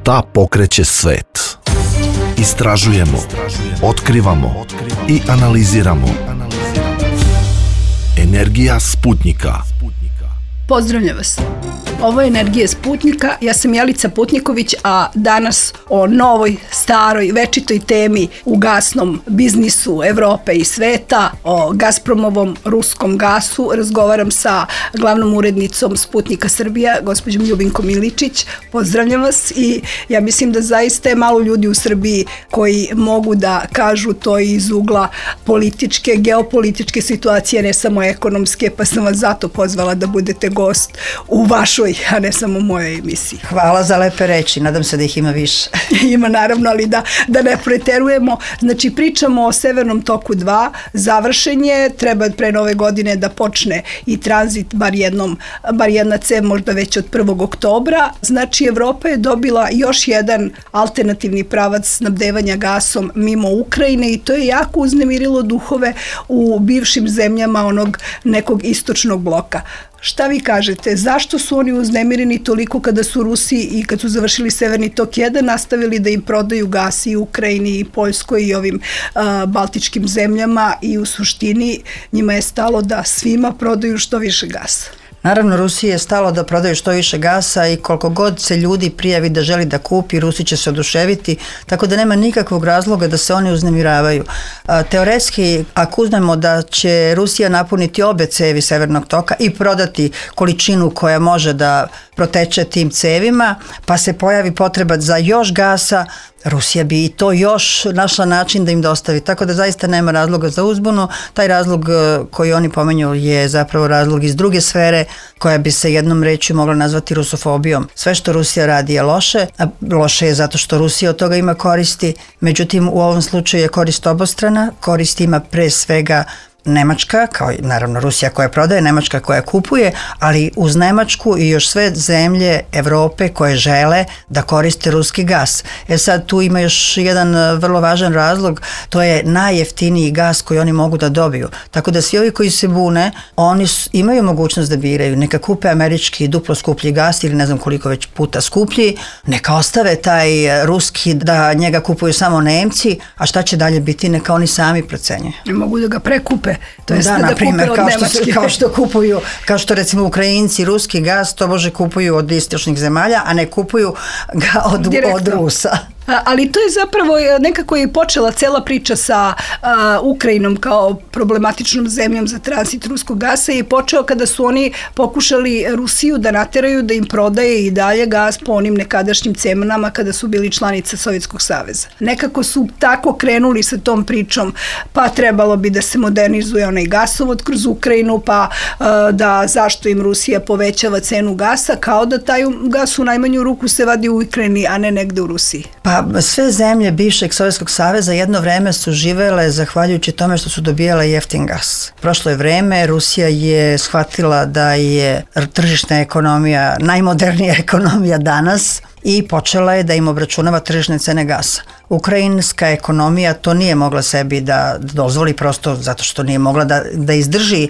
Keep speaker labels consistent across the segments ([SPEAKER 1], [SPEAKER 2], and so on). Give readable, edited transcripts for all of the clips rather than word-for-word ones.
[SPEAKER 1] Šta pokreće svet? Istražujemo, otkrivamo i analiziramo. Energija Sputnika.
[SPEAKER 2] Pozdravljam vas. Ovo je Energija Sputnika, ja sam Jelica Putniković, a danas o novoj, staroj, večitoj temi u gasnom biznisu Evrope i sveta, o Gazpromovom ruskom gasu, razgovaram sa glavnom urednicom Sputnika Srbija, gospođom Ljubinkom Miličić. Pozdravljam vas i ja mislim da zaista je malo ljudi u Srbiji koji mogu da kažu to iz ugla političke, geopolitičke situacije, ne samo ekonomske, pa sam vas zato pozvala da budete gost u vašoj, a ne samo u mojoj emisiji.
[SPEAKER 3] Hvala za lepe reči, nadam se da ih ima više.
[SPEAKER 2] Ima naravno, ali da ne preterujemo. Znači pričamo o Severnom toku 2, završen je, treba pre nove godine da počne i tranzit, bar jedna cev možda već od 1. oktobra. Znači Evropa je dobila još jedan alternativni pravac snabdevanja gasom mimo Ukrajine i to je jako uznemirilo duhove u bivšim zemljama onog nekog istočnog bloka. Šta vi kažete, zašto su oni uznemireni toliko kada su Rusi i kad su završili Severni tok 1 nastavili da im prodaju gas i Ukrajini i Poljskoj i ovim baltičkim zemljama i u suštini njima je stalo da svima prodaju što više gasa?
[SPEAKER 3] Naravno, Rusiji je stalo da prodaju što više gasa i koliko god se ljudi prijavi da želi da kupi, Rusi će se oduševiti, tako da nema nikakvog razloga da se oni uznemiravaju. Teoretski, ako uzmemo da će Rusija napuniti obe cevi Severnog toka i prodati količinu koja može da proteče tim cevima, pa se pojavi potreba za još gasa, Rusija bi i to još našla način da im dostavi, tako da zaista nema razloga za uzbunu. Taj razlog koji oni pomenju je zapravo razlog iz druge sfere koja bi se jednom rečju mogla nazvati rusofobijom. Sve što Rusija radi je loše, a loše je zato što Rusija od toga ima koristi, međutim u ovom slučaju je korist obostrana, korist ima pre svega Nemačka, kao naravno Rusija koja prodaje, Nemačka koja kupuje, ali uz Nemačku i još sve zemlje Evrope koje žele da koriste ruski gas. Sad tu ima još jedan vrlo važan razlog, to je najjeftiniji gas koji oni mogu da dobiju. Tako da svi ovi koji se bune, oni imaju mogućnost da biraju, neka kupe američki duplo skuplji gas ili ne znam koliko već puta skuplji, neka ostave taj ruski da njega kupuju samo Nemci, a šta će dalje biti, neka oni sami procenjuju.
[SPEAKER 2] Mogu da ga prekupe. To
[SPEAKER 3] da, na primjer, kao što recimo Ukrajinci ruski gas to može kupuju od istočnih zemalja, a ne kupuju ga od Rusa.
[SPEAKER 2] Ali to je zapravo nekako je počela cela priča sa Ukrajinom kao problematičnom zemljom za tranzit ruskog gasa i počeo kada su oni pokušali Rusiju da nateraju da im prodaje i dalje gas po onim nekadašnjim cenama kada su bili članica Sovjetskog saveza. Nekako su tako krenuli sa tom pričom, pa trebalo bi da se modernizuje onaj gasovod kroz Ukrajinu, pa da zašto im Rusija povećava cenu gasa, kao da taj gas u najmanju ruku se vadi u Ukrajini, a ne negde u Rusiji.
[SPEAKER 3] Pa sve zemlje bivšeg Sovjetskog saveza jedno vreme su živele zahvaljujući tome što su dobijale jeftin gas. Prošlo je vreme, Rusija je shvatila da je tržišna ekonomija najmodernija ekonomija danas i počela je da im obračunava tržišne cene gasa. Ukrajinska ekonomija to nije mogla sebi da dozvoli prosto zato što nije mogla da izdrži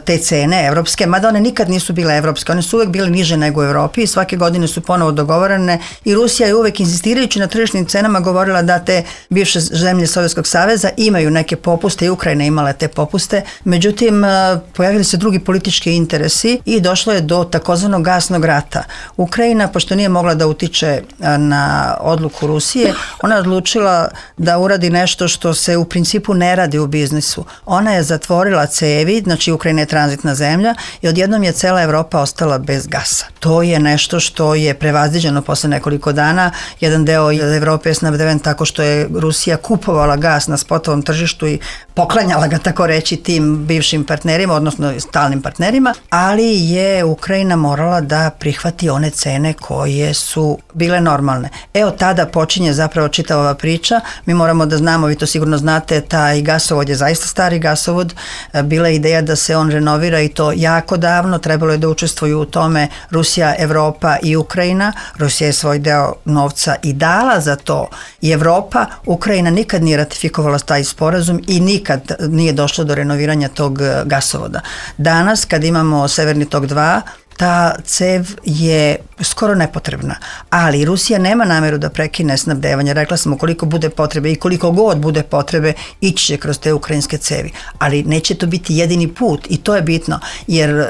[SPEAKER 3] te cene evropske, mada one nikad nisu bile evropske, one su uvek bile niže nego u Evropi i svake godine su ponovo dogovorene i Rusija je uvek insistirajući na tržišnim cenama govorila da te bivše zemlje Sovjetskog saveza imaju neke popuste i Ukrajina imala te popuste, međutim pojavili se drugi politički interesi i došlo je do takozvanog gasnog rata. Ukrajina, pošto nije mogla da utiče na odluku Rusije, ona je odlučila da uradi nešto što se u principu ne radi u biznisu. Ona je zatvorila cevi, znači Ukrajina je tranzitna zemlja i odjednom je cela Evropa ostala bez gasa. To je nešto što je prevaziđeno posle nekoliko dana. Jedan deo Evrope je snabdeven tako što je Rusija kupovala gas na spotovom tržištu i poklanjala ga, tako reći, tim bivšim partnerima, odnosno stalnim partnerima, ali je Ukrajina morala da prihvati one cene koje su bile normalne. Od tada počinje zapravo čitava ova priča. Mi moramo da znamo, vi to sigurno znate, taj gasovod je zaista stari gasovod. Bila je ideja da se on renovira i to jako davno. Trebalo je da učestvuju u tome Rusija, Evropa i Ukrajina. Rusija je svoj deo novca i dala za to i Evropa. Ukrajina nikad nije ratifikovala taj sporazum i nikad nije došlo do renoviranja tog gasovoda. Danas, kad imamo Severni tok 2, ta cev je skoro nepotrebna, ali Rusija nema nameru da prekine snabdevanje. Rekla sam, koliko bude potrebe i koliko god bude potrebe, ići će kroz te ukrajinske cevi, ali neće to biti jedini put i to je bitno, jer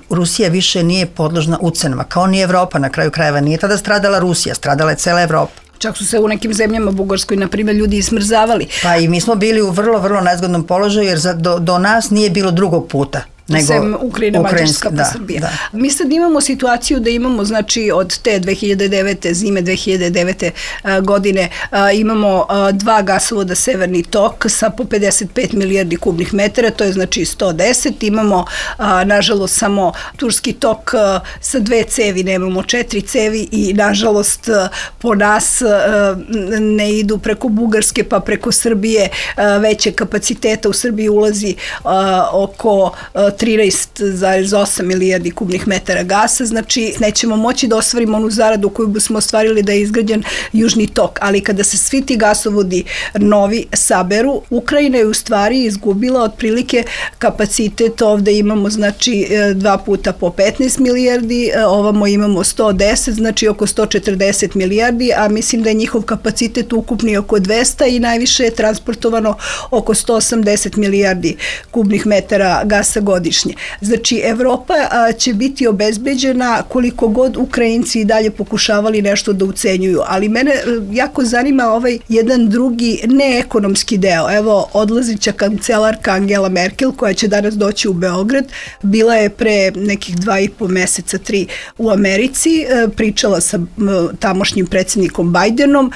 [SPEAKER 3] Rusija više nije podložna ucenama, kao ni Evropa na kraju krajeva. Nije tada stradala Rusija, stradala je cela Evropa.
[SPEAKER 2] Čak su se u nekim zemljama, Bugarskoj, na primjer, ljudi ismrzavali.
[SPEAKER 3] Pa i mi smo bili u vrlo, vrlo nezgodnom položaju, jer do nas nije bilo drugog puta.
[SPEAKER 2] Sem Ukrajina, Mađarska pa Srbija.
[SPEAKER 3] Da.
[SPEAKER 2] Mi sad imamo situaciju da imamo, znači, od te 2009. zime 2009. godine imamo dva gasovoda Severni tok sa po 55 milijardi kubnih metara, to je znači 110. Imamo, nažalost, samo Turski tok sa 2 cevi, nemamo 4 cevi i, nažalost, po nas ne idu preko Bugarske pa preko Srbije veće kapaciteta. U Srbiji ulazi oko 13,8 milijardi kubnih metara gasa, znači nećemo moći da ostvarimo onu zaradu koju bismo ostvarili da je izgrađen Južni tok, ali kada se svi ti gasovodi novi saberu, Ukrajina je u stvari izgubila otprilike kapacitet. Ovde imamo znači 2 puta po 15 milijardi, ovamo imamo 110, znači oko 140 milijardi, a mislim da je njihov kapacitet ukupni oko 200 i najviše je transportovano oko 180 milijardi kubnih metara gasa godišnje. Znači, Evropa će biti obezbeđena koliko god Ukrajinci i dalje pokušavali nešto da ucenjuju, ali mene jako zanima ovaj jedan drugi neekonomski deo. Evo, odlazića kancelarka Angela Merkel, koja će danas doći u Beograd, bila je pre nekih 2,5 meseca, 3 u Americi, pričala sa tamošnjim predsjednikom Bajdenom,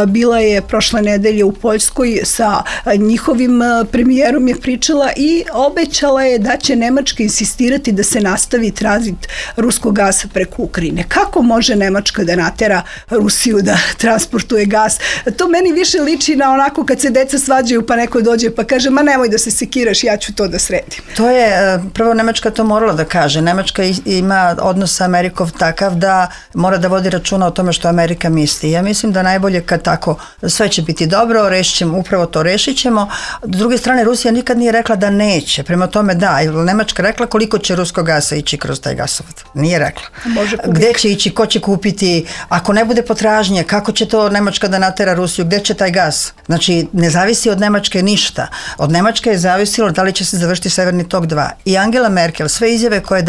[SPEAKER 2] bila je prošle nedelje u Poljskoj sa njihovim premijerom je pričala i obećala je da će Nemačka insistirati da se nastavi tranzit ruskog gasa preko Ukrajine. Kako može Nemačka da natera Rusiju da transportuje gas? To meni više liči na onako kad se deca svađaju pa neko dođe pa kaže, ma nemoj da se sekiraš, ja ću to da sredim.
[SPEAKER 3] To je, prvo Nemačka to morala da kaže. Nemačka ima odnos sa Amerikom takav da mora da vodi računa o tome što Amerika misli. Ja mislim da najbolje kad tako sve će biti dobro, rešit ćemo, upravo to rešit ćemo. S druge strane, Rusija nikad nije rekla da neće. Prema tome da, Nemačka rekla koliko će ruskog gasa ići kroz taj gasovod. Nije rekla. Gde će ići, ko će kupiti, ako ne bude potražnje, kako će to Nemačka da natera Rusiju, gde će taj gas? Znači, ne zavisi od Nemačke ništa. Od Nemačke je zavisilo da li će se završiti Severni tok 2. I Angela Merkel, sve izjave koje je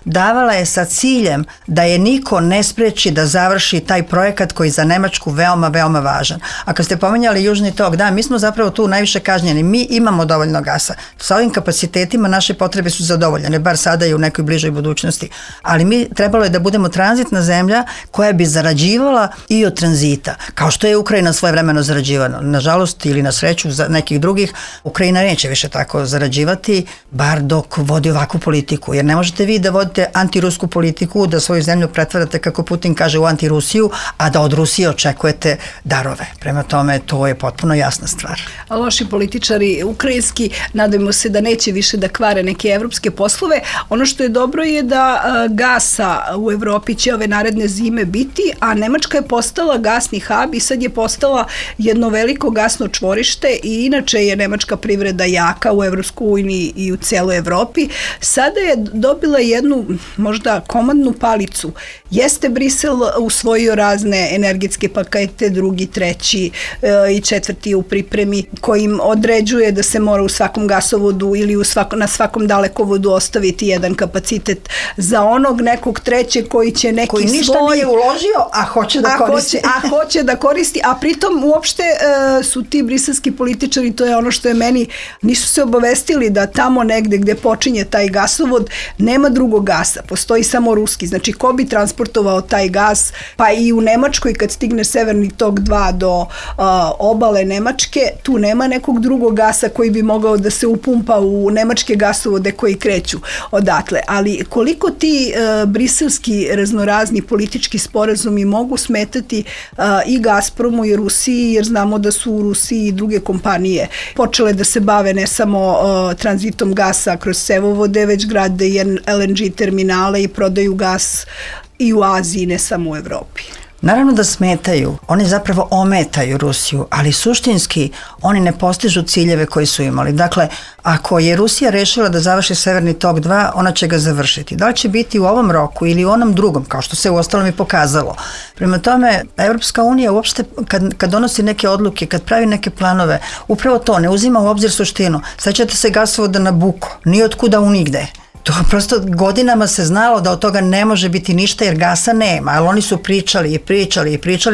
[SPEAKER 3] davala je sa ciljem da je niko ne spreči da završi taj projekat koji je za Nemačku veoma, veoma važan. A kad ste pomenjali Južni tok, da, mi smo zapravo tu najviše kažnjeni. Mi imamo dovoljno gasa. Sa ovim kapacitetima naše potrebe su zadovoljene, bar sada i u nekoj bližoj budućnosti. Ali mi trebalo je da budemo tranzitna zemlja koja bi zarađivala i od tranzita. Kao što je Ukrajina svojevremeno zarađivana. Nažalost ili na sreću za nekih drugih, Ukrajina neće više tako zarađivati, bar dok vodi ovakvu politiku. Jer ne možete vi da vodite antirusku politiku, da svoju zemlju pretvarate, kako Putin kaže, u antirusiju, a da od Rusije očekujete darove. Prema tome, to je potpuno jasna stvar.
[SPEAKER 2] A loši političari ukrajinski, nadajmo se da neće više da kvare neke evropske poslove. Ono što je dobro je da gasa u Evropi će ove naredne zime biti, a Nemačka je postala gasni hub i sad je postala jedno veliko gasno čvorište i inače je nemačka privreda jaka u Evropskoj uniji i u celoj Evropi. Sada je dobila jednu možda komandnu palicu. Jeste Brisel usvojio razne energetske pakete, drugi, treći i četvrti u pripremi, kojim određuje da se mora u svakom gasovodu ili na svakom dalekovodu ostaviti jedan kapacitet za onog nekog trećeg koji će neki
[SPEAKER 3] koji ništa nije uložio, a hoće da koristi.
[SPEAKER 2] Hoće da koristi, a pritom uopšte su ti briselski političari, to je ono što je meni, nisu se obavestili da tamo negde gde počinje taj gasovod nema drugog gasa, postoji samo ruski. Znači, ko bi transportovao taj gas, pa i u Nemačkoj kad stigne Severni tok 2 do obale Nemačke, tu nema nekog drugog gasa koji bi mogao da se upumpa u nemačke gasovode koji kreću odatle. Ali koliko ti briselski raznorazni politički sporazumi mogu smetati i Gazpromu i Rusiji, jer znamo da su u Rusiji i druge kompanije počele da se bave ne samo tranzitom gasa kroz cevovode, već grade i LNG terminale i prodaju gas i u Aziji, ne samo u Evropi.
[SPEAKER 3] Naravno da smetaju, oni zapravo ometaju Rusiju, ali suštinski oni ne postižu ciljeve koji su imali. Dakle, ako je Rusija rešila da završi Severni tok 2, ona će ga završiti. Da li će biti u ovom roku ili u onom drugom, kao što se u ostalom i pokazalo. Prema tome, Evropska unija uopšte kad donosi neke odluke, kad pravi neke planove, upravo to ne uzima u obzir suštinu. Sećate se gasovoda na Nabucco, ni od kuda u nigde. To prosto godinama se znalo da od toga ne može biti ništa jer gasa nema, ali oni su pričali,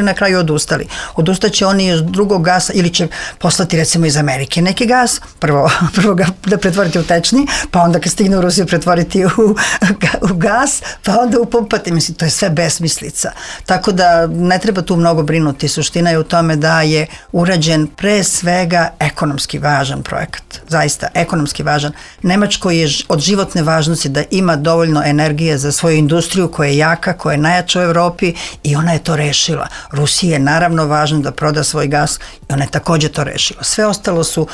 [SPEAKER 3] na kraju odustali. Odustaće oni iz drugog gasa ili će poslati recimo iz Amerike neki gas, prvo ga da pretvoriti u tečni, pa onda kad stigne u Rusiju pretvoriti u gas, pa onda upumpati. Mislim, to je sve besmislica. Tako da ne treba tu mnogo brinuti. Suština je u tome da je urađen pre svega ekonomski važan projekat. Zaista, ekonomski važan. Nemačkoj je od životne važnosti da ima dovoljno energije za svoju industriju koja je jaka, koja je najjača u Evropi i ona je to rešila. Rusiji je naravno važno da proda svoj gas i ona je takođe to rešila. Sve ostalo su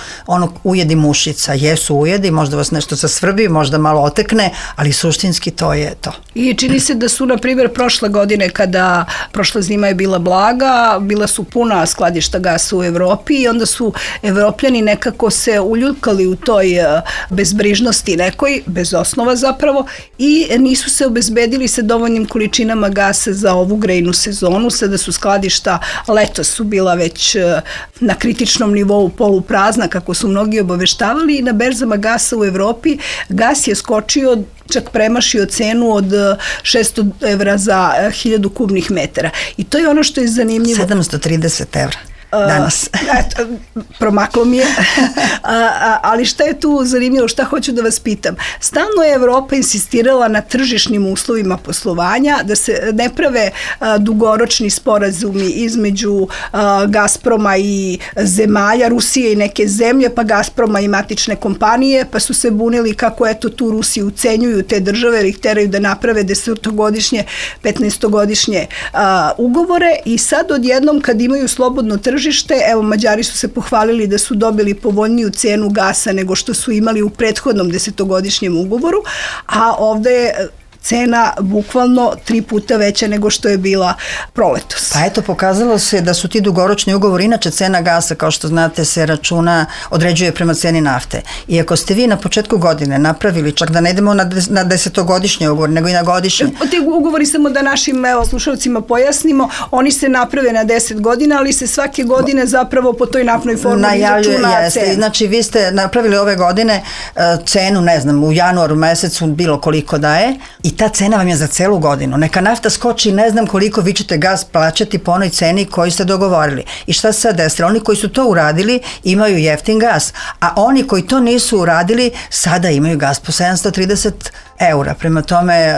[SPEAKER 3] ujedi mušica, jesu ujedi, možda vas nešto zasvrbi, možda malo otekne, ali suštinski to je to.
[SPEAKER 2] I čini se da su, na primjer, prošle godine kada prošla zima je bila blaga, bila su puna skladišta gasa u Evropi i onda su Evropljani nekako se uljuljkali u toj bezbrižnosti nekoj, bez osnova zapravo, i nisu se obezbedili sa dovoljnim količinama gasa za ovu grejnu sezonu. Sada su skladišta, letos su bila već na kritičnom nivou poluprazna, kako su mnogi obaveštavali, i na berzama gasa u Evropi gas je skočio, čak premašio cenu od 600 evra za 1000 kubnih metara. I to je ono što je zanimljivo.
[SPEAKER 3] 730 evra. Danas.
[SPEAKER 2] Promaklo mi je. Ali šta je tu zanimljivo, šta hoću da vas pitam? Stalno je Evropa insistirala na tržišnim uslovima poslovanja, da se ne prave dugoročni sporazumi između Gazproma i zemalja, Rusije i neke zemlje, pa Gazproma i matične kompanije, pa su se bunili kako eto tu Rusiju ucenjuju te države jer ih teraju da naprave 10-godišnje, 15-godišnje ugovore, i sad odjednom kad imaju slobodno tržište, evo, Mađari su se pohvalili da su dobili povoljniju cenu gasa nego što su imali u prethodnom 10-godišnjem ugovoru, a ovde je cena bukvalno 3 puta veća nego što je bila proletos.
[SPEAKER 3] Pa eto, pokazalo se da su ti dugoročni ugovori, inače cena gasa, kao što znate, se određuje prema ceni nafte. I ako ste vi na početku godine napravili, čak da ne idemo na 10-godišnje ugovor, nego i na godišnje.
[SPEAKER 2] Ti ugovori, samo da našim slušalcima pojasnimo, oni se naprave na 10 godina, ali se svake godine zapravo po toj naftnoj formuli izračuna cena.
[SPEAKER 3] Znači, vi ste napravili ove godine cenu, ne znam, u januaru mesecu bilo koliko daje, i ta cena vam je za celu godinu. Neka nafta skoči, ne znam koliko, vi ćete gas plaćati po onoj ceni koju ste dogovorili. I šta se sad desilo? Oni koji su to uradili imaju jeftin gas, a oni koji to nisu uradili sada imaju gas po 730 eura. Prema tome,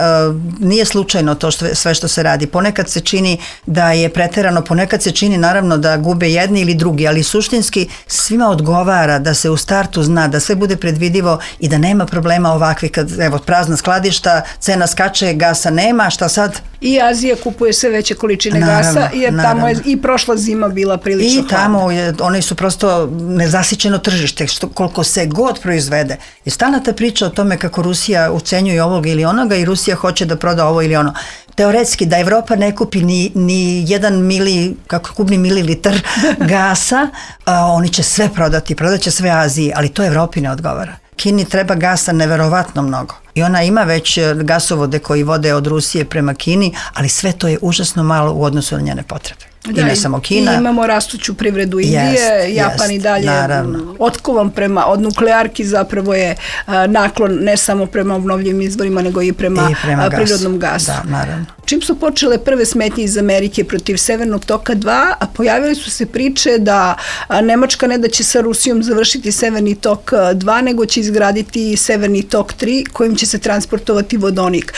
[SPEAKER 3] nije slučajno to sve što se radi. Ponekad se čini da je preterano, ponekad se čini naravno da gube jedni ili drugi, ali suštinski svima odgovara da se u startu zna, da sve bude predvidivo i da nema problema ovakvih kad, evo, prazna skladišta, cena skače, gasa nema, šta sad?
[SPEAKER 2] I Azija kupuje sve veće količine gasa, jer tamo je i prošla zima bila prilično hladna.
[SPEAKER 3] I tamo oni su prosto nezasićeno tržište, koliko se god proizvede. I stalna ta priča o tome kako Rusija ucenjuje ovog ili onoga i Rusija hoće da proda ovo ili ono. Teoretski, da Evropa ne kupi ni jedan kubni mililitar gasa, oni će sve prodati, prodaće sve Aziji, ali to Evropi ne odgovara. Kini treba gasa neverovatno mnogo. I ona ima već gasovode koji vode od Rusije prema Kini, ali sve to je užasno malo u odnosu na njene potrebe. I ne samo Kina.
[SPEAKER 2] I imamo rastuću privredu Indije, Japan i dalje otkovan od nuklearki, zapravo je naklon ne samo prema obnovljivim izvorima, nego i prema prirodnom gasu.
[SPEAKER 3] Da, naravno.
[SPEAKER 2] Čim su počele prve smetnje iz Amerike protiv Severnog toka 2, a pojavile su se priče da Nemačka ne da će sa Rusijom završiti Severni tok 2, nego će izgraditi Severni tok 3, kojim će se transportovati vodonik.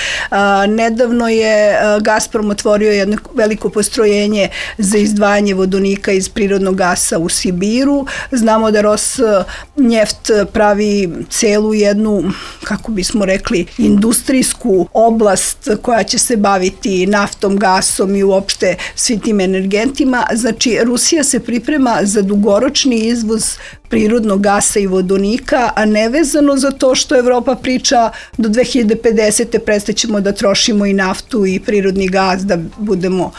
[SPEAKER 2] Nedavno je Gazprom otvorio jedno veliko postrojenje za izdvajanje vodonika iz prirodnog gasa u Sibiru. Znamo da Rosneft pravi celu jednu, kako bismo rekli, industrijsku oblast koja će se baviti naftom, gasom i uopšte svim tim energentima. Znači, Rusija se priprema za dugoročni izvoz prirodnog gasa i vodonika, a nevezano za to što Evropa priča do 2050. prestaćemo da trošimo i naftu i prirodni gas da budemo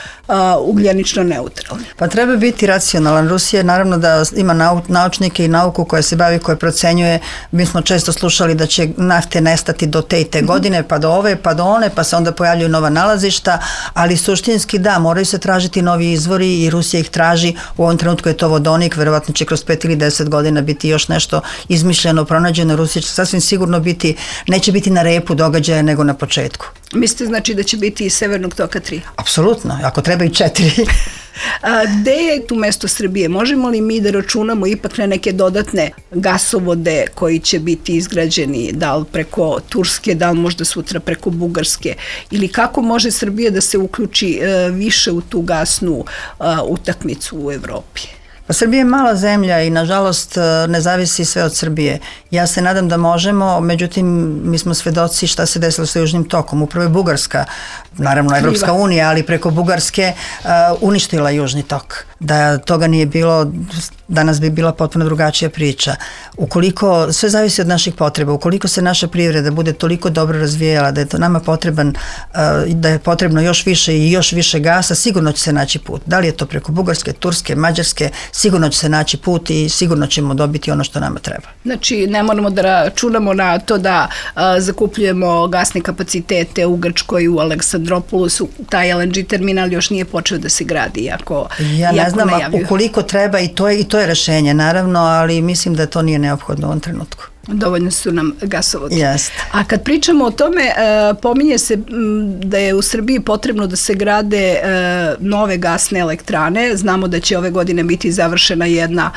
[SPEAKER 2] ugljenično neutralni.
[SPEAKER 3] Pa treba biti racionalan. Rusija naravno da ima naučnike i nauku koja se bavi, koja procenjuje. Mi smo često slušali da će nafte nestati do te i te godine, pa do ove, pa do one, pa se onda pojavljuju nova nalazišta, ali suštinski da, moraju se tražiti novi izvori i Rusija ih traži. U ovom trenutku je to vodonik, verovatno će kroz 5 ili 10 godina biti još nešto izmišljeno, pronađeno. Rusija će sasvim sigurno biti, neće biti na repu događaja nego na početku.
[SPEAKER 2] Mislite znači da će biti i Severnog toka 3?
[SPEAKER 3] Apsolutno, ako treba i 4.
[SPEAKER 2] Gde je tu mesto Srbije? Možemo li mi da računamo ipak na neke dodatne gasovode koji će biti izgrađeni, da li preko Turske, da li možda sutra preko Bugarske, ili kako može Srbija da se uključi više u tu gasnu utakmicu u Evropi?
[SPEAKER 3] Pa Srbija je mala zemlja i nažalost ne zavisi sve od Srbije. Ja se nadam da možemo, međutim mi smo svedoci šta se desilo sa Južnim tokom. Upravo je Bugarska, naravno Evropska unija, ali preko Bugarske uništila Južni tok. Da toga nije bilo, danas bi bila potpuno drugačija priča. Ukoliko, sve zavisi od naših potreba, ukoliko se naša privreda bude toliko dobro razvijala da je to nama potreban, da je potrebno još više i još više gasa, sigurno će se naći put. Da li je to preko Bugarske, Turske, Mađarske, sigurno će se naći put i sigurno ćemo dobiti ono što nama treba.
[SPEAKER 2] Znači, ne moramo da računamo na to da zakupljujemo gasne kapacitete u Grčkoj, u Aleksandropolusu. Taj LNG terminal još nije počeo da se gradi, iako
[SPEAKER 3] ne znam, ukoliko treba i to je rešenje, naravno, ali mislim da to nije neophodno u ovom trenutku.
[SPEAKER 2] Dovoljno su nam gasovodi.
[SPEAKER 3] Yes.
[SPEAKER 2] A kad pričamo o tome, pominje se da je u Srbiji potrebno da se grade nove gasne elektrane. Znamo da će ove godine biti završena jedna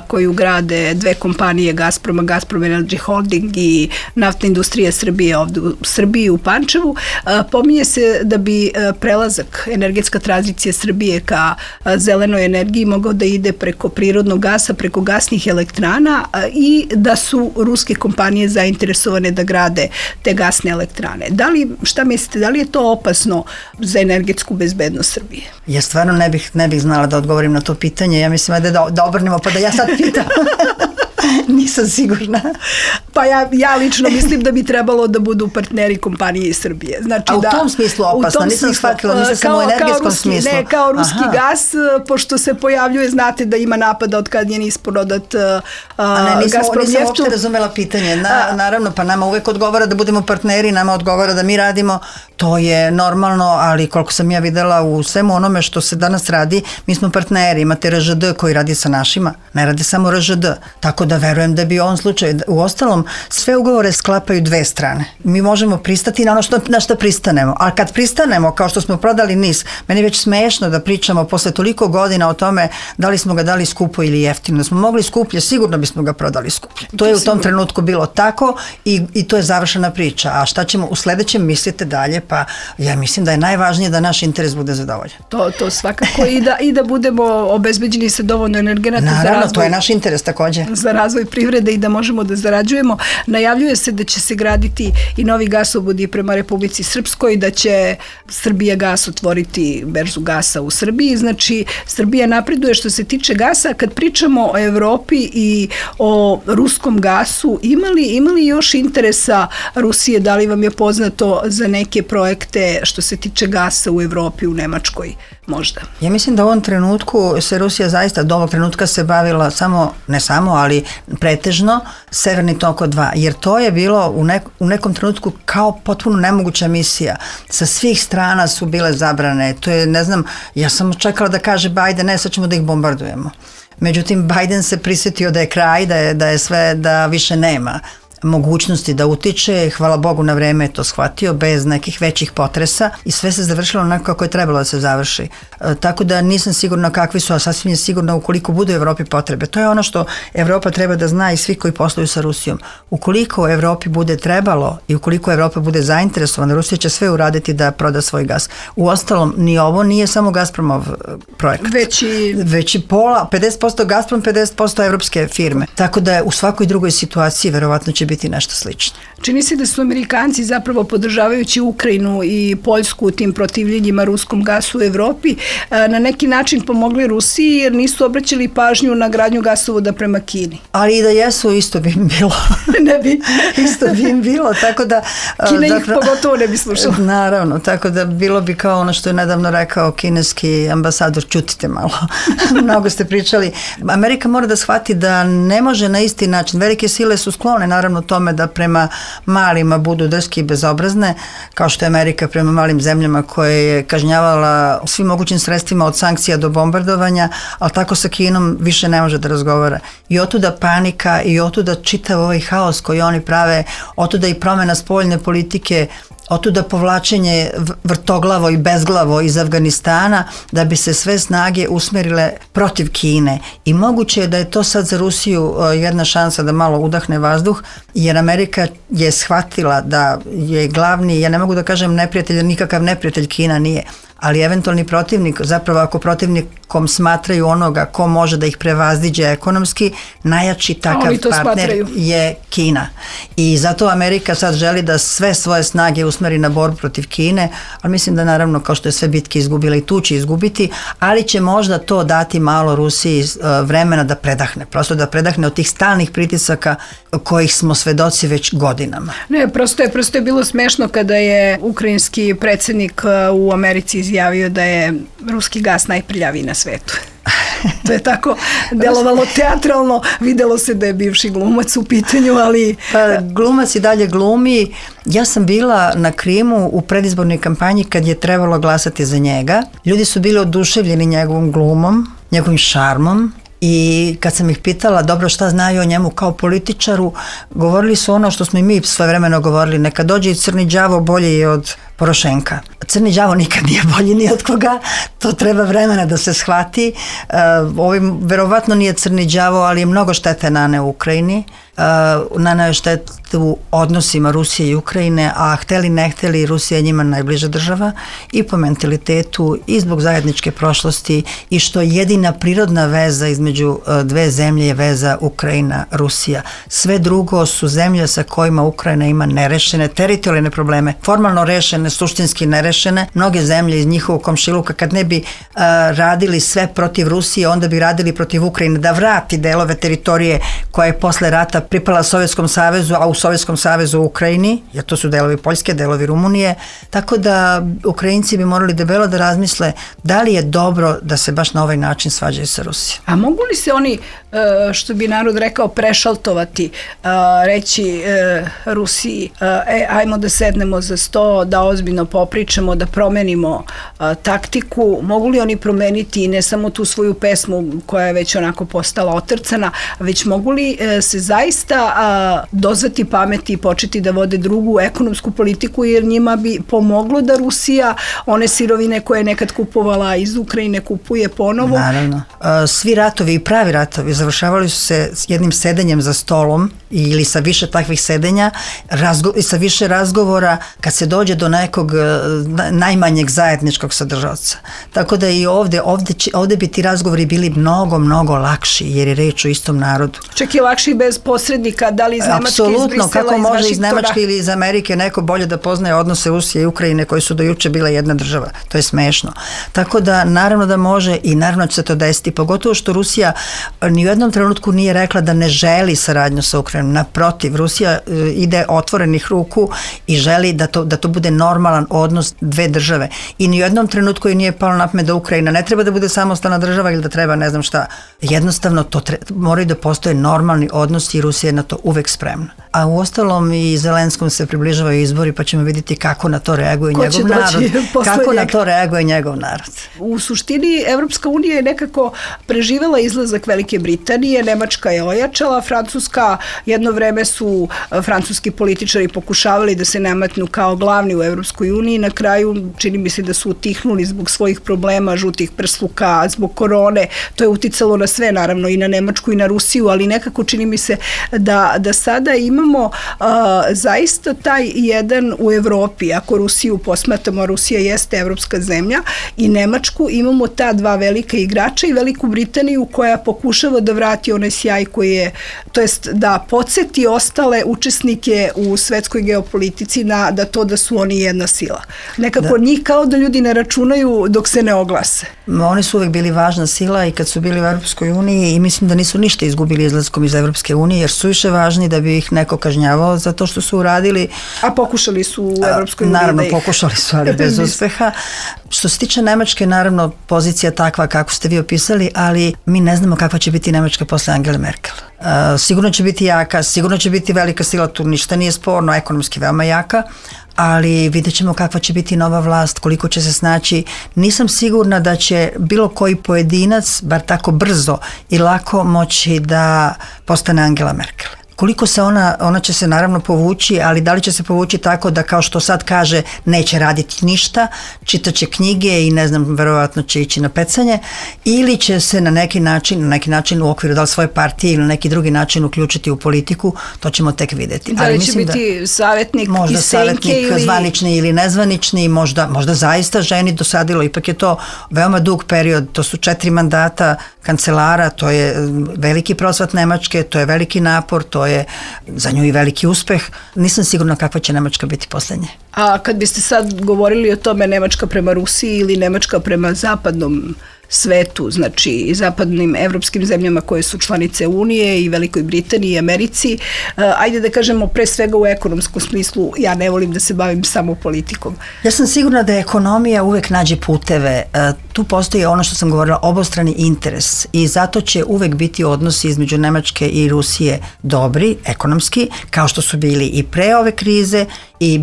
[SPEAKER 2] koju grade dve kompanije Gazproma, Gazprom Energy Holding i Naftna industrija Srbije ovde u Srbiji u Pančevu. Pominje se da bi prelazak energetska tranzicija Srbije ka zelenoj energiji mogao da ide preko prirodnog gasa, preko gasnih elektrana i da su ruske kompanije zainteresovane da grade te gasne elektrane. Šta mislite, da li je to opasno za energetsku bezbednost Srbije?
[SPEAKER 3] Ja stvarno ne bih znala da odgovorim na to pitanje. Ja mislim da obrnemo pa da ja sad pitam. Nisam sigurna.
[SPEAKER 2] Pa ja lično mislim da bi trebalo da budu partneri kompanije iz Srbije. Znači,
[SPEAKER 3] a u tom smislu opasno, nisam shvatila, nisam samo u energetskom smislu.
[SPEAKER 2] Ne, kao ruski gas, pošto se pojavljuje, znate da ima napada od kad je prodat Gazprom
[SPEAKER 3] nisam uopšte razumela pitanje. Naravno, pa nama uvek odgovara da budemo partneri, nama odgovara da mi radimo, to je normalno, ali koliko sam ja videla u svemu onome što se danas radi, mi smo partneri, imate RŽD koji radi sa našima, ne radi samo RŽD, tako da verujem da bi u ovom slučaju, u ostalom, sve ugovore sklapaju dve strane. Mi možemo pristati na što pristanemo, ali kad pristanemo, kao što smo prodali NIS, meni je već smešno da pričamo posle toliko godina o tome da li smo ga dali skupo ili jeftino. Da smo mogli skuplje, sigurno bismo ga prodali skuplje. To je u tom trenutku bilo tako i to je završena priča. A šta ćemo u sledećem mislite dalje? Pa ja mislim da je najvažnije da naš interes bude zadovoljan.
[SPEAKER 2] To svakako i da budemo obezbeđeni sa dovoljno energenata za razvoj.
[SPEAKER 3] Naravno, to je naš interes takođe.
[SPEAKER 2] Za razvoj privrede i da možemo da zarađujemo. Najavljuje se da će se graditi i novi gasovodi prema Republici Srpskoj, da će Srbija gas otvoriti berzu gasa u Srbiji. Znači, Srbija napreduje što se tiče gasa. Kad pričamo o Evropi i o ruskom gasu, ima li još interesa Rusije? Da li vam je poznato za neke projekte što se tiče gasa u Evropi, u Nemačkoj možda? Ja
[SPEAKER 3] mislim da u ovom trenutku se Rusija zaista do ovog trenutka se bavila ali pretežno Severni tok 2, jer to je bilo u nekom trenutku kao potpuno nemoguća misija. Sa svih strana su bile zabrane. To je, ne znam, ja sam čekala da kaže Biden, ne, sad ćemo da ih bombardujemo. Međutim, Biden se prisjetio da je kraj, da je sve, da više nema mogućnosti da utiče, hvala Bogu na vreme je to shvatio, bez nekih većih potresa i sve se završilo onako kako je trebalo da se završi. Tako da nisam sigurna kakvi su, a sasvim je sigurno ukoliko bude u Evropi potrebe. To je ono što Evropa treba da zna i svi koji posluju sa Rusijom. Ukoliko Evropi bude trebalo i ukoliko Evropa bude zainteresovana, Rusija će sve uraditi da proda svoj gas. Uostalom, ni ovo nije samo Gazpromov projekat. Već i pola, 50% Gazprom, 50% evropske firme. Tako da u svakoj drugoj situaciji verovatno će biti biti nešto slično.
[SPEAKER 2] Čini se da su Amerikanci zapravo podržavajući Ukrajinu i Poljsku u tim protivljenjima ruskom gasu u Evropi na neki način pomogli Rusiji jer nisu obraćali pažnju na gradnju gasovoda prema Kini.
[SPEAKER 3] Ali i da jesu, isto bi im bilo.
[SPEAKER 2] Ne bi.
[SPEAKER 3] Isto bi im bilo, tako da...
[SPEAKER 2] Kina ih pogotovo ne bi slušala.
[SPEAKER 3] Naravno, tako da bilo bi kao ono što je nedavno rekao kineski ambasador, ćutite malo. Mnogo ste pričali. Amerika mora da shvati da ne može na isti način. Velike sile su sklone naravno tome da prema malima budu drski i bezobrazne, kao što je Amerika prema malim zemljama koje je kažnjavala svim mogućim sredstvima od sankcija do bombardovanja, ali tako sa Kinom više ne može da razgovara. I otuda panika i otuda čitav ovaj haos koji oni prave, otuda i promjena spoljne politike, otuda povlačenje vrtoglavo i bezglavo iz Afganistana da bi se sve snage usmerile protiv Kine. I moguće je da je to sad za Rusiju jedna šansa da malo udahne vazduh, jer Amerika je shvatila da je glavni, ja ne mogu da kažem neprijatelj, nikakav neprijatelj Kina nije, ali eventualni protivnik, zapravo ako protivnikom smatraju onoga ko može da ih prevaziđe ekonomski, najjači takav partner je Kina. I zato Amerika sad želi da sve svoje snage usmeri na borbu protiv Kine, ali mislim da naravno kao što je sve bitke izgubila i tu će izgubiti, ali će možda to dati malo Rusiji vremena da predahne, prosto da predahne od tih stalnih pritisaka kojih smo svedoci već godinama.
[SPEAKER 2] Ne, prosto je bilo smešno kada je ukrajinski predsjednik u Americi izjavio da je ruski gas najprljaviji na svetu. To je tako delovalo teatralno, videlo se da je bivši glumac u pitanju, ali...
[SPEAKER 3] Pa, glumac i dalje glumi. Ja sam bila na Krimu u predizbornoj kampanji kad je trebalo glasati za njega. Ljudi su bili oduševljeni njegovom glumom, njegovim šarmom. I kad sam ih pitala dobro šta znaju o njemu kao političaru, govorili su ono što smo i mi svojevremeno govorili, neka dođe i crni đavo bolji je od Porošenka. Crni đavo nikad nije bolji ni od koga, to treba vremena da se shvati. Ovim verovatno nije crni đavo, ali je mnogo štete naneo u Ukrajini, naneo je štetu odnosima Rusije i Ukrajine, a hteli ne hteli, Rusija je njima najbliža država i po mentalitetu i zbog zajedničke prošlosti i što jedina prirodna veza između dve zemlje je veza Ukrajina-Rusija. Sve drugo su zemlje sa kojima Ukrajina ima nerešene teritorijalne probleme, formalno rešene, suštinski nerešene. Mnoge zemlje iz njihovog komšiluka kad ne bi radili sve protiv Rusije, onda bi radili protiv Ukrajine da vrati delove teritorije koja je posle rata pripala Sovjetskom savezu, a u Sovjetskom savezu u Ukrajini, jer to su delovi Poljske, delovi Rumunije, tako da Ukrajinci bi morali debelo da razmisle da li je dobro da se baš na ovaj način svađaju sa Rusijom.
[SPEAKER 2] A mogu li se oni, što bi narod rekao, prešaltovati, reći Rusiji, ajmo da sednemo za sto, da ozbiljno popričamo, da promenimo taktiku, mogu li oni promeniti ne samo tu svoju pesmu koja je već onako postala otrcana, već mogu li se zaista dozvati pameti i početi da vode drugu ekonomsku politiku, jer njima bi pomoglo da Rusija one sirovine koje je nekad kupovala iz Ukrajine kupuje ponovo?
[SPEAKER 3] Naravno. Svi ratovi i pravi ratovi završavali su se s jednim sedenjem za stolom ili sa više takvih sedenja i sa više razgovora kad se dođe do nekog najmanjeg zajedničkog sadržavca. Tako da i ovde bi ti razgovori bili mnogo, mnogo lakši jer je reč o istom narodu.
[SPEAKER 2] Čak i lakši bez posrednika, da li iz Nemačke,
[SPEAKER 3] apsolutno,
[SPEAKER 2] iz Brisela,
[SPEAKER 3] kako
[SPEAKER 2] iz
[SPEAKER 3] može iz
[SPEAKER 2] Vašingtona?
[SPEAKER 3] Nemačke ili iz Amerike neko bolje da poznaje odnose Rusije i Ukrajine koji su do juče bile jedna država. To je smešno. Tako da naravno da može i naravno će se to desiti, pogotovo što Rusija ni u jednom trenutku nije rekla da ne želi saradnju sa Ukrajinom. Naprotiv, Rusija ide otvorenih ruku i želi da to bude normalan odnos dve države. I ni u jednom trenutku je nije palo na pamet da Ukrajina ne treba da bude samostalna država ili da treba ne znam šta. Jednostavno to moraju da postoje normalni odnosi i Rusija je na to uvek spremna. A u ostalom i Zelenskom se približavaju izbori pa ćemo vidjeti kako na to reaguje njegov narod. Kako na to reaguje njegov narod.
[SPEAKER 2] U suštini Evropska unija je nekako preživela izlazak Velike Britanije, Nemačka je ojačala, Francuska, jedno vreme su francuski političari pokušavali da se nametnu kao glavni u Evropskoj uniji, na kraju čini mi se da su utihnuli zbog svojih problema, žutih prsluka, zbog korone, to je uticalo na sve, naravno i na Nemačku i na Rusiju, ali nekako čini mi se da sada imamo zaista taj jedan u Evropi, ako Rusiju posmatramo, Rusija jeste evropska zemlja, i Nemačku, imamo ta dva velika igrača i Veliku Britaniju koja pokušava da vrati onaj sjaj koji je, to jest da podsjeti ostale učesnike u svetskoj geopolitici da su oni jedna sila. Nekako njih kao da ljudi ne računaju dok se ne oglase.
[SPEAKER 3] Oni su uvek bili važna sila i kad su bili u Evropskoj uniji i mislim da nisu ništa izgubili izlaskom iz Evropske unije jer su više važni da bi ih neko kažnjavao za to što su uradili.
[SPEAKER 2] A pokušali su u Evropskoj uniji
[SPEAKER 3] naravno, pokušali su, ali bez uspeha. Što se tiče Nemačke, naravno, pozicija takva kako ste vi opisali, ali mi ne znamo kakva će biti Nemačka posle Angele Merkel. Sigurno će biti jaka, sigurno će biti velika sila, tu ništa nije sporno, ekonomski veoma jaka, ali vidjet ćemo kakva će biti nova vlast, koliko će se snaći. Nisam sigurna da će bilo koji pojedinac, bar tako brzo i lako, moći da postane Angela Merkel. Koliko se ona će se naravno povući, ali da li će se povući tako da kao što sad kaže neće raditi ništa, čitaće knjige i ne znam, verovatno će ići na pecanje, ili će se na neki način u okviru da li svoje partije ili na neki drugi način uključiti u politiku, to ćemo tek vidjeti.
[SPEAKER 2] Da li će biti savjetnik
[SPEAKER 3] možda
[SPEAKER 2] iz senke
[SPEAKER 3] savjetnik zvanični ili nezvanični, možda zaista ženi dosadilo, ipak je to veoma dug period, to su 4 mandata kancelara, to je veliki prosvat Nemačke, to je veliki napor, to je za nju i veliki uspeh. Nisam sigurna kakva će Nemačka biti poslednje.
[SPEAKER 2] A kad biste sad govorili o tome Nemačka prema Rusiji ili Nemačka prema zapadnom svetu, znači i zapadnim evropskim zemljama koje su članice Unije i Velikoj Britaniji i Americi, ajde da kažemo pre svega u ekonomskom smislu, ja ne volim da se bavim samo politikom.
[SPEAKER 3] Ja sam sigurna da ekonomija uvek nađe puteve. Tu postoji ono što sam govorila, obostrani interes i zato će uvek biti odnosi između Nemačke i Rusije dobri, ekonomski, kao što su bili i pre ove krize i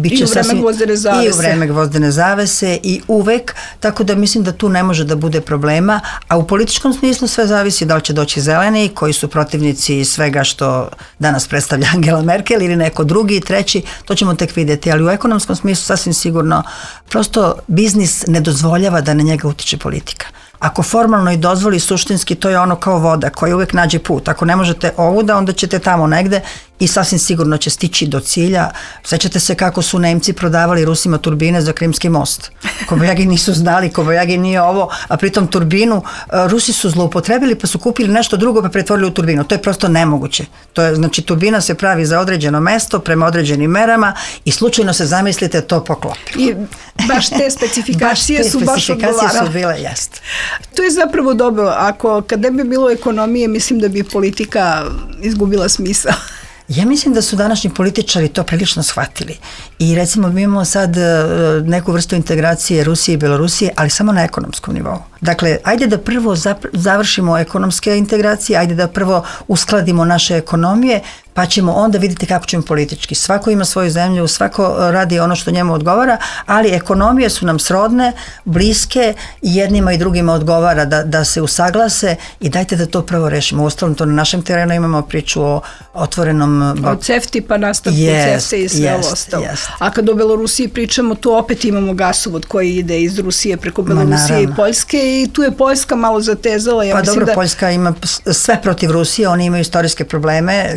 [SPEAKER 3] u vreme gvozdene zavese i uvek, tako da mislim da tu ne može da bude problema, a u političkom smislu sve zavisi da li će doći zeleni koji su protivnici svega što danas predstavlja Angela Merkel ili neko drugi i treći, to ćemo tek vidjeti, ali u ekonomskom smislu sasvim sigurno prosto biznis ne dozvoljava da na njega utiče politika. Ako formalno i dozvoli, suštinski to je ono kao voda koja uvek nađe put. Ako ne možete ovuda, onda ćete tamo negde i sasvim sigurno će stići do cilja. Sećate se kako su Nemci prodavali Rusima turbine za Krimski most. Kobajagi nisu znali, Kobajagi nije ovo, a pritom turbinu Rusi su zloupotrebili pa su kupili nešto drugo pa pretvorili u turbinu. To je prosto nemoguće. Znači turbina se pravi za određeno mesto prema određenim merama i slučajno se zamislite to poklopi.
[SPEAKER 2] I baš te specifikacije su baš odgovarale.
[SPEAKER 3] Su bile, jest.
[SPEAKER 2] To je zapravo dobro. Kad ne bi bilo ekonomije, mislim da bi politika izgubila smisao.
[SPEAKER 3] Ja mislim da su današnji političari to prilično shvatili i recimo mi imamo sad neku vrstu integracije Rusije i Belorusije, ali samo na ekonomskom nivou. Dakle, ajde da prvo završimo ekonomske integracije, ajde da prvo uskladimo naše ekonomije, pa ćemo onda vidjeti kako ćemo politički. Svako ima svoju zemlju, svako radi ono što njemu odgovara, ali ekonomije su nam srodne, bliske i jednima i drugima odgovara da se usaglase i dajte da to prvo rešimo. Uostalom, to na našem terenu imamo priču o otvorenom...
[SPEAKER 2] Od CEFTA pa nastavku CEFTA i sve ovo ostalo. A kad o Belorusiji pričamo, tu opet imamo gasovod koji ide iz Rusije preko Belorusije i Poljske i tu je Poljska malo zatezala.
[SPEAKER 3] Pa dobro, Poljska ima sve protiv Rusije, oni imaju istorijske probleme,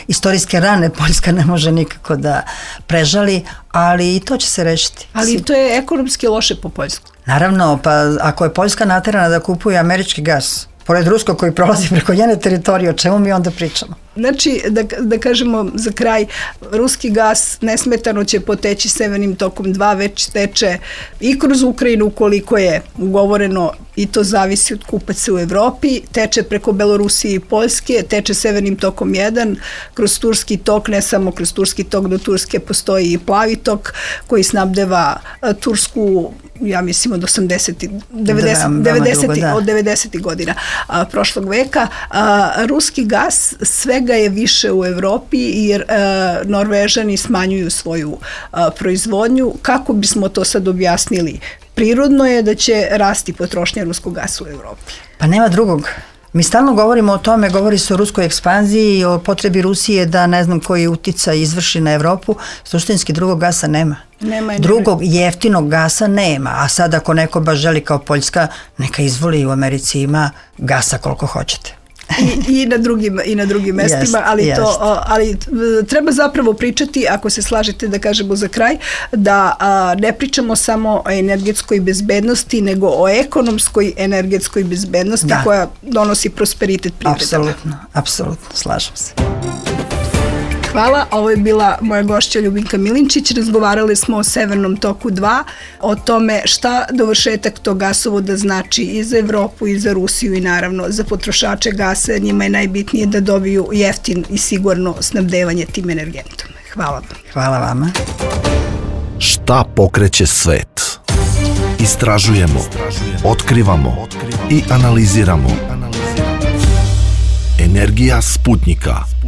[SPEAKER 3] istorijske rane Poljska ne može nikako da prežali, ali i to će se rešiti.
[SPEAKER 2] Ali to je ekonomski loše po Poljsku.
[SPEAKER 3] Naravno, pa ako je Poljska naterana da kupuje američki gas, pored ruskog koji prolazi preko njene teritorije, o čemu mi onda pričamo?
[SPEAKER 2] Znači, da kažemo za kraj, ruski gas nesmetano će poteći Severnim tokom 2, već teče i kroz Ukrajinu koliko je ugovoreno i to zavisi od kupaca u Evropi, teče preko Belorusije i Poljske, teče Severnim tokom 1, kroz Turski tok, ne samo kroz Turski tok, do Turske postoji i Plavi tok koji snabdeva Tursku, ja mislim od 90. godina prošlog veka. Ruski gas svega je više u Evropi jer Norvežani smanjuju svoju proizvodnju. Kako bismo to sad objasnili? Prirodno je da će rasti potrošnja ruskog gasa u Evropi.
[SPEAKER 3] Pa nema drugog. Mi stalno govorimo o tome, govori se o ruskoj ekspanziji i o potrebi Rusije da ne znam koji uticaj izvrši na Evropu. Suštinski drugog gasa nema. Drugog jeftinog gasa nema, a sad ako neko baš želi kao Poljska, neka izvoli, u Americi ima gasa koliko hoćete.
[SPEAKER 2] I na drugim mestima, ali treba zapravo pričati, ako se slažete da kažemo za kraj, da ne pričamo samo o energetskoj bezbednosti, nego o ekonomskoj energetskoj bezbednosti koja donosi prosperitet privredama.
[SPEAKER 3] Apsolutno, slažem se.
[SPEAKER 2] Hvala, ovo je bila moja gošća Ljubinka Milinčić. Razgovarali smo o Severnom toku 2, o tome šta dovršetak tog gasovoda znači i za Evropu i za Rusiju i naravno za potrošače gasa. Njima je najbitnije da dobiju jeftin i sigurno snabdevanje tim energentom. Hvala vam.
[SPEAKER 3] Hvala vama.
[SPEAKER 1] Šta pokreće svet? Istražujemo, otkrivamo i analiziramo. Energija Sputnika.